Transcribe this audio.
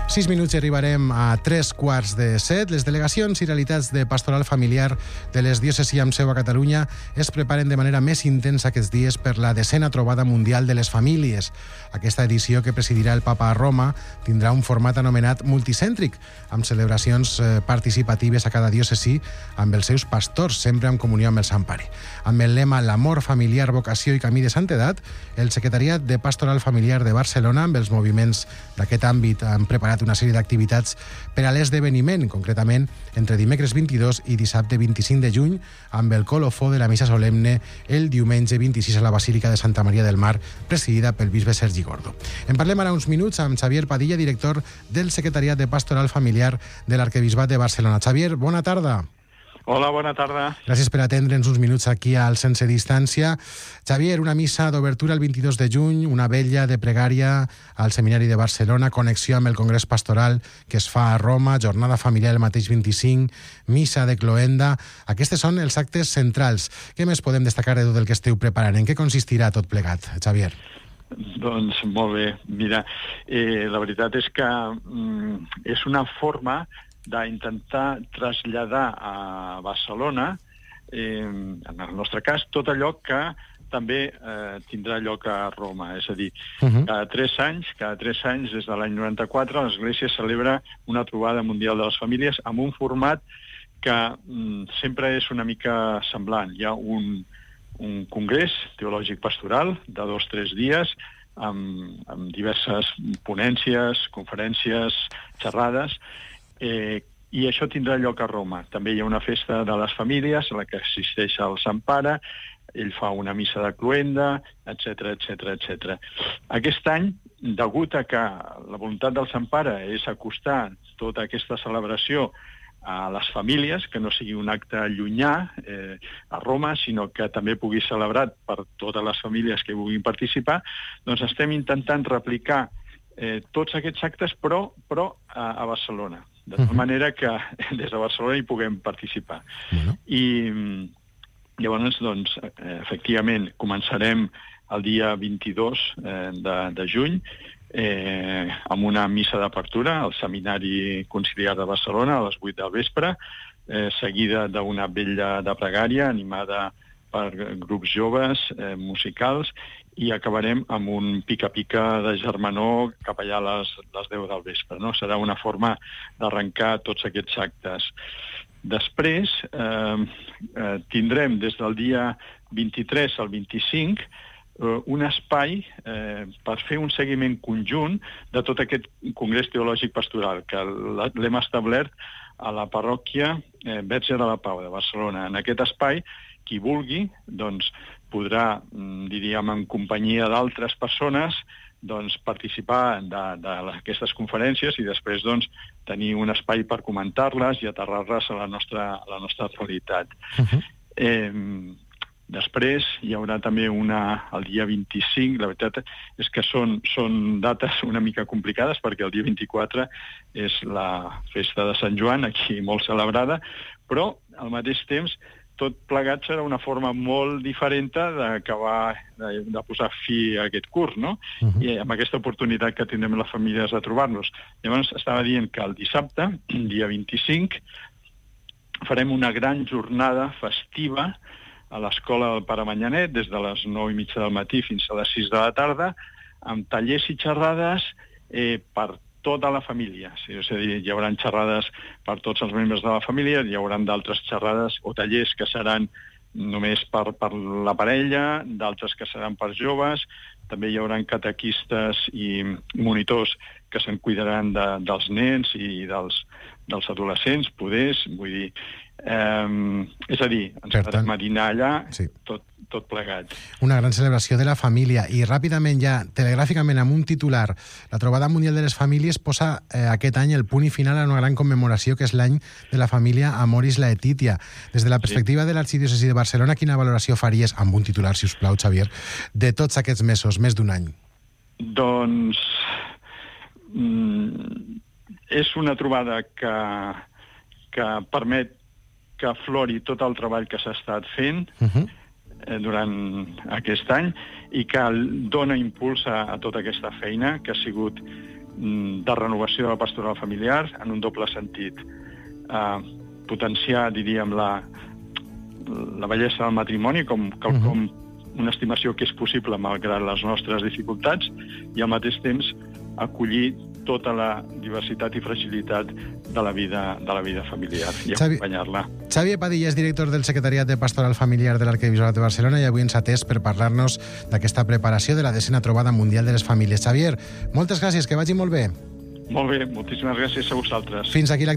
6 minuts i arribarem a 3:15. Les delegacions i realitats de pastoral familiar de les diòcesis amb seu a Catalunya es preparen de manera més intensa aquests dies per la 10ª trobada mundial de les famílies. Aquesta edició, que presidirà el Papa a Roma, tindrà un format anomenat multicèntric, amb celebracions participatives a cada diòcesi amb els seus pastors, sempre en comunió amb el Sant Pare. Amb el lema L'amor familiar, vocació i camí de santedat, el Secretariat de Pastoral Familiar de Barcelona, amb els moviments d'aquest àmbit, han preparat una sèrie d'activitats per a l'esdeveniment, concretament entre dimecres 22 i dissabte 25 de juny, amb el colofó de la missa solemne el diumenge 26 a la Basílica de Santa Maria del Mar, presidida pel bisbe Sergi Gordo. En parlem ara uns minuts amb Xavier Padilla, director del Secretariat de Pastoral Familiar de l'Arquebisbat de Barcelona. Xavier, bona tarda. Hola, bona tarda. Gràcies per atendre'ns uns minuts aquí al Sense Distància. Xavier, una missa d'obertura el 22 de juny, una vetlla de pregària al Seminari de Barcelona, connexió amb el Congrés Pastoral que es fa a Roma, jornada familiar el mateix 25, missa de cloenda. Aquests són els actes centrals. Què més podem destacar de tot el que esteu preparant? En què consistirà tot plegat, Xavier? Doncs molt bé. Mira, la veritat és que és una forma d'intentar traslladar a Barcelona, en el nostre cas, tot allò que també tindrà lloc a Roma. És a dir, cada 3 anys, des de l'any 94, l'Església celebra una trobada mundial de les famílies amb un format que sempre és una mica semblant. Hi ha un congrés teològic pastoral de 2 o 3 dies amb diverses ponències, conferències, xerrades, i això tindrà lloc a Roma. També hi ha una festa de les famílies a la que assisteix el Sant Pare, ell fa una missa de cloenda, etc, etc, etc. Aquest any, degut a que la voluntat del Sant Pare és acostar tota aquesta celebració a les famílies, que no sigui un acte llunyà a Roma, sinó que també pugui ser celebrat per totes les famílies que vulguin participar, doncs estem intentant replicar tots aquests actes, però a Barcelona, de tal manera que des de Barcelona hi puguem participar. I llavors, doncs, efectivament, començarem el dia 22 de juny amb una missa d'apertura al Seminari Conciliar de Barcelona a les 8 del vespre, seguida d'una vetlla de pregària animada per grups joves, musicals, i acabarem amb un pica-pica de germanor cap allà a les 10 del vespre. Serà una forma d'arrencar tots aquests actes. Després tindrem des del dia 23 al 25 un espai per fer un seguiment conjunt de tot aquest Congrés Teològic Pastoral, que l'hem establert a la parròquia Verge de la Pau de Barcelona. En aquest espai, qui vulgui, doncs, podrà, diríem, en companyia d'altres persones, doncs, participar d'aquestes conferències i després, doncs, tenir un espai per comentar-les i aterrar-les a la nostra realitat. Després hi haurà també el dia 25, la veritat és que són dates una mica complicades perquè el dia 24 és la festa de Sant Joan, aquí molt celebrada, però al mateix temps tot plegat serà una forma molt diferent d'acabar de posar fi a aquest curs, no? I amb aquesta oportunitat que tindrem les famílies de trobar-nos. Llavors estava dient que el dissabte, dia 25, farem una gran jornada festiva a l'Escola del Pare Manyanet, des de les 9:30 del matí fins a les 6 de la tarda, amb tallers i xerrades per tota la família. És a dir, hi haurà xerrades per tots els membres de la família, hi haurà d'altres xerrades o tallers que seran només per la parella, d'altres que seran per joves, també hi haurà catequistes i monitors que se'n cuidaran dels nens i dels adolescents, vull dir, és a dir, ens podrem dinar allà, tot plegat. Una gran celebració de la família. I ràpidament ja, telegràficament, amb un titular, la Trobada Mundial de les Famílies posa aquest any el punt i final a una gran commemoració que és l'any de la família Amoris Laetitia. Des de la perspectiva de l'Arxidiòcesi de Barcelona, quina valoració faries, amb un titular, si us plau, Xavier, de tots aquests mesos, més d'un any? Doncs és una trobada que permet que aflori tot el treball que s'ha estat fent durant aquest any i que dona impuls a tota aquesta feina que ha sigut de renovació de la pastoral familiar en un doble sentit. Potenciar, diríem, la bellesa del matrimoni com quelcom, una estimació que és possible malgrat les nostres dificultats, i al mateix temps acollir tota la diversitat i fragilitat de la vida familiar i acompanyar-la. Xavier Padilla és director del Secretariat de Pastoral Familiar de l'Arquebisbat de Barcelona i avui ens ha atès per parlar-nos d'aquesta preparació de la 10a Trobada Mundial de les Famílies. Xavier, moltes gràcies, que vagi molt bé. Molt bé, moltíssimes gràcies a vosaltres. Fins aquí l'actualitat.